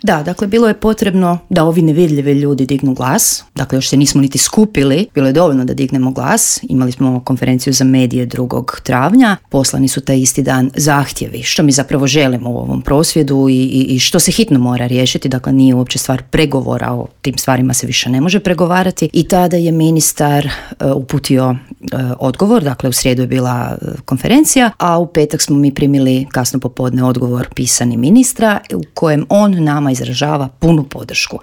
Da, dakle, bilo je potrebno da ovi nevidljivi ljudi dignu glas. Dakle, još se nismo niti skupili. Bilo je dovoljno da dignemo glas. Imali smo konferenciju za medije 2. travnja. Poslani su taj isti dan zahtjevi. Što mi zapravo želimo u ovom prosvjedu i što se hitno mora riješiti. Dakle, nije uopće stvar pregovora. O tim stvarima se više ne može pregovarati. I tada je ministar uputio odgovor. Dakle, u srijedu je bila konferencija, a u petak smo mi primili kasno popodne odgovor pisani ministra u kojem on nama izražava punu podršku.